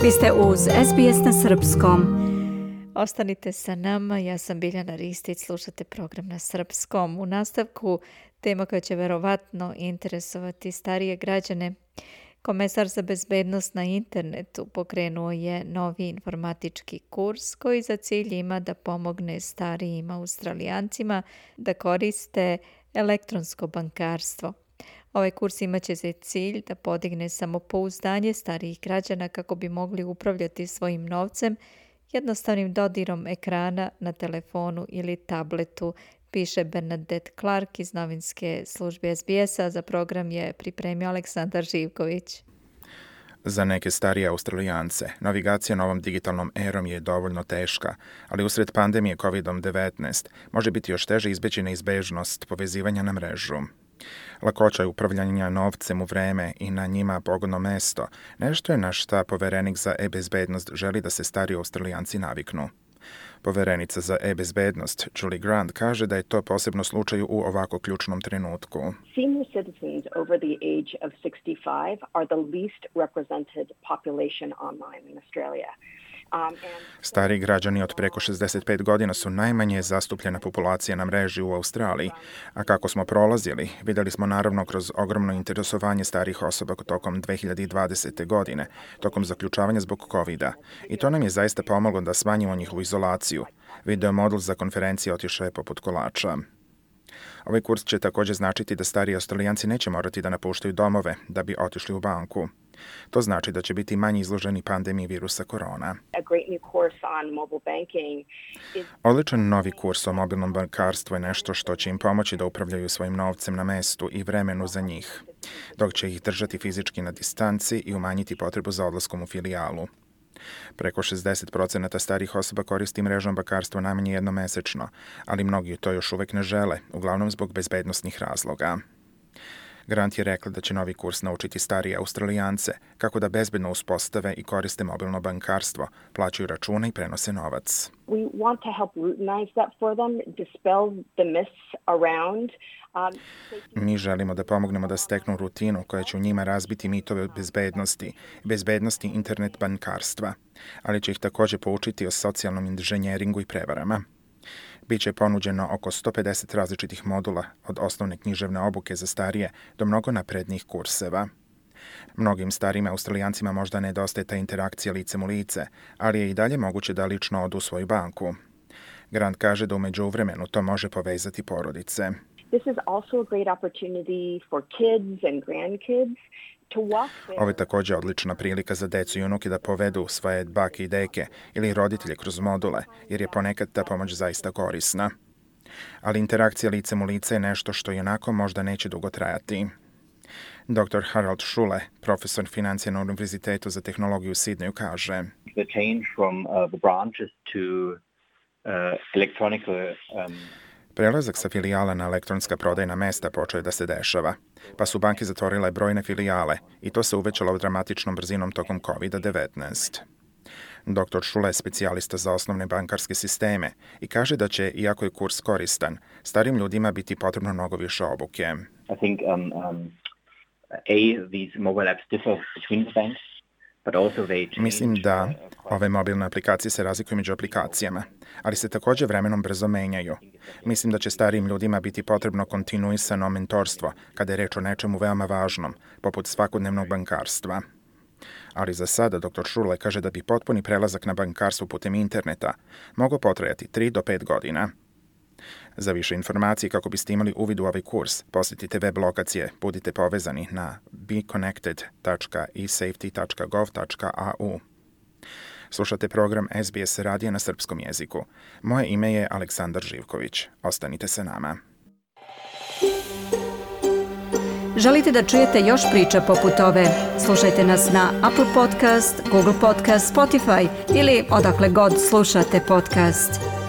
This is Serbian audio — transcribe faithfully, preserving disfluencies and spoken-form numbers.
Vi ste uz S B S na srpskom. Ostanite sa nama, ja sam Biljana Ristić, slušate program na srpskom. U nastavku tema koja će verovatno interesovati starije građane. Komesar za bezbednost na internetu pokrenuo je novi informatički kurs koji za cilj ima da pomogne starijim Australijancima da koriste elektronsko bankarstvo. Ovaj kurs imaće za cilj da podigne samopouzdanje starijih građana kako bi mogli upravljati svojim novcem jednostavnim dodirom ekrana na telefonu ili tabletu, piše Bernadette Clark iz novinske službe S B S-a. Za program je pripremio Aleksandar Živković. Za neke starije Australijance, navigacija novom digitalnom erom je dovoljno teška, ali usred pandemije kovid devetnaest može biti još teže izbeći neizbežnost povezivanja na mrežu. Lakoća upravljanja novcem u vreme i na njima pogodno mesto, nešto je na šta poverenik za e-bezbednost želi da se stariji Australijanci naviknu. Poverenica za e-bezbednost Julie Grant kaže da je to posebno slučaj u ovako ključnom trenutku. Senior citizens over the age of sixty-five are the least represented population online in Australia. Stari građani od preko šezdeset pet godina su najmanje zastupljena populacija na mreži u Australiji, a kako smo prolazili, vidjeli smo naravno kroz ogromno interesovanje starih osoba tokom dve hiljade dvadesete. godine, tokom zaključavanja zbog kovida. I to nam je zaista pomoglo da smanjimo njihovu izolaciju. Video modul za konferencije otišao je poput kolača. Ovaj kurs će također značiti da stariji Australijanci neće morati da napuštaju domove da bi otišli u banku. To znači da će biti manje izloženi pandemiji virusa korona. Odličan novi kurs o mobilnom bankarstvu je nešto što će im pomoći da upravljaju svojim novcem na mestu i vremenu za njih, dok će ih držati fizički na distanci i umanjiti potrebu za odlaskom u filijalu. Preko šezdeset procenata starih osoba koristi mrežno bankarstvo najmanje jednom mesečno, ali mnogi to još uvek ne žele, uglavnom zbog bezbednosnih razloga. Grant je rekla da će novi kurs naučiti starije Australijance kako da bezbedno uspostave i koriste mobilno bankarstvo, plaćaju račune i prenose novac. We want to help routinize that for them, dispel the myths around. Um, Mi želimo da pomognemo da steknu rutinu koja će u njima razbiti mitove bezbednosti, bezbednosti internet bankarstva, ali će ih također poučiti o socijalnom inženjeringu i prevarama. Biće ponuđeno oko sto pedeset različitih modula, od osnovne književne obuke za starije do mnogo naprednijih kurseva. Mnogim starijim Australijancima možda nedostaje ta interakcija licem u lice, ali je i dalje moguće da lično odu u svoju banku. Grant kaže da u međuvremenu to može povezati porodice. This is also a great opportunity for kids and grandkids. Ovo je također odlična prilika za decu i unuke da povedu svoje bake i deke ili roditelje kroz module, jer je ponekad ta pomoć zaista korisna. Ali interakcija licem u lice je nešto što i onako možda neće dugo trajati. doktor Harold Schule, profesor financija na Univerzitetu za tehnologiju u Sidneju, kaže: The change from uh, the branches to uh, electronic um, Prelazak sa filijala na elektronska prodajna mesta počeo je da se dešava, pa su banke zatvorile brojne filijale i to se uvećalo dramatičnom brzinom tokom kovid devetnaest. doktor Schule je specijalista za osnovne bankarske sisteme i kaže da će, iako je kurs koristan, starim ljudima biti potrebno mnogo više obuke. I think um, um, a these mobile apps differ between the banks. Mislim da ove mobilne aplikacije se razlikuju među aplikacijama, ali se također vremenom brzo menjaju. Mislim da će starijim ljudima biti potrebno kontinuisano mentorstvo kada je reč o nečemu veoma važnom, poput svakodnevnog bankarstva. Ali za sada doktor Schule kaže da bi potpuni prelazak na bankarstvo putem interneta mogao potrajati tri do pet godina. Za više informacije kako biste imali uvid u ovaj kurs, posjetite web lokacije Budite povezani na be connected dot e safety dot gov dot a u. Slušate program S B S radija na srpskom jeziku. Moje ime je Aleksandar Živković. Ostanite sa nama. Želite da čujete još priča poput ove? Slušajte nas na Apple Podcast, Google Podcast, Spotify ili odakle god slušate podcast.